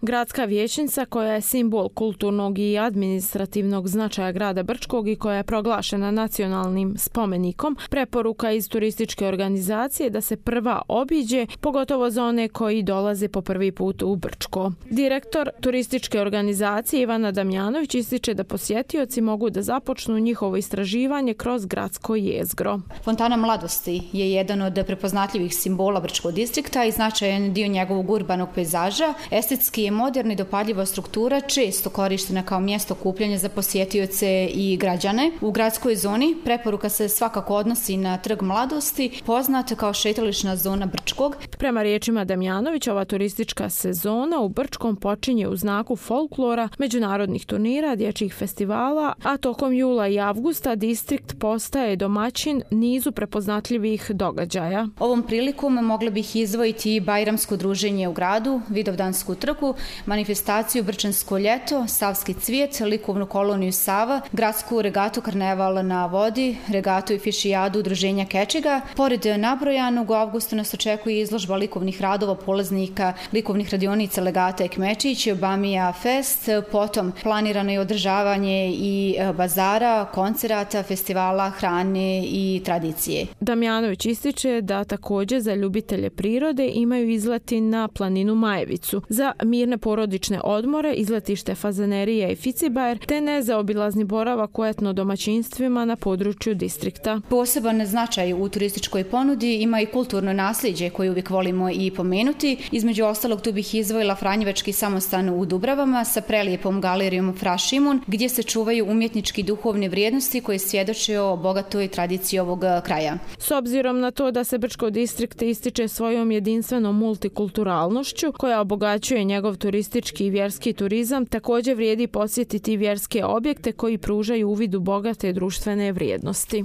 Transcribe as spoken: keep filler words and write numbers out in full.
Gradska vijećnica, koja je simbol kulturnog i administrativnog značaja grada Brčkog i koja je proglašena nacionalnim spomenikom, preporuka iz turističke organizacije da se prva obiđe, pogotovo za one koji dolaze po prvi put u Brčko. Direktor turističke organizacije Ivana Damjanović ističe da posjetioci mogu da započnu njihovo istraživanje kroz gradsko jezgro. Fontana Mladosti je jedan od prepoznatljivih simbola Brčkog distrikta i značajan dio njegovog urbanog pejzaža. Estetski je moderna i dopadljiva struktura često korištena kao mjesto okupljanja za posjetioce i građane. U gradskoj zoni preporuka se svakako odnosi na Trg Mladosti, poznat kao šetališna zona Brčkog. Prema riječima Damjanović, ova turistička sezona u Brčkom počinje u znaku folklora, međunarodnih turnira, dječjih festivala, a tokom jula i avgusta distrikt postaje domaćin nizu prepoznatljivih događaja. Ovom prilikom mogla bih izdvojiti bajramsko druženje u gradu, Vidovdansku trku, manifestaciju Brčansko ljeto, Savski cvijet, likovnu koloniju Sava, gradsku regatu Karneval na vodi, regatu i fišijadu udruženja Kečiga. Pored nabrojanog, u avgustu nas očekuje izložba likovnih radova polaznika likovnih radionica Legata i Kmečić, Bamija Fest, potom planirano je održavanje i bazara, koncerata, festivala, hrane i tradicije. Damjanović ističe da također za ljubitelje prirode imaju izleti na planinu Majevicu, za mirne porodične odmore, izletište Fazanerija i Ficibajer, te nezaobilazni boravak u etno domaćinstvima na području distrikta. Poseban značaj u turističkoj ponudi ima i kulturno nasljeđe koje uvijek volimo i pomenuti. Između ostalog tu bih izdvojila Franjevački samostan u Dubravama sa prelijepom galerijom Fra Šimun, gdje se čuvaju umjetnički duhovne vrijednosti koje svjedoče o bogatoj tradiciji ovog kraja. S obzirom na to da se Brčko distrikt ističe svojom jedinstvenom multikulturalnošću koja obogaćuje njegov turistički i vjerski turizam, također vrijedi posjetiti vjerske objekte koji pružaju uvid u bogate društvene vrijednosti.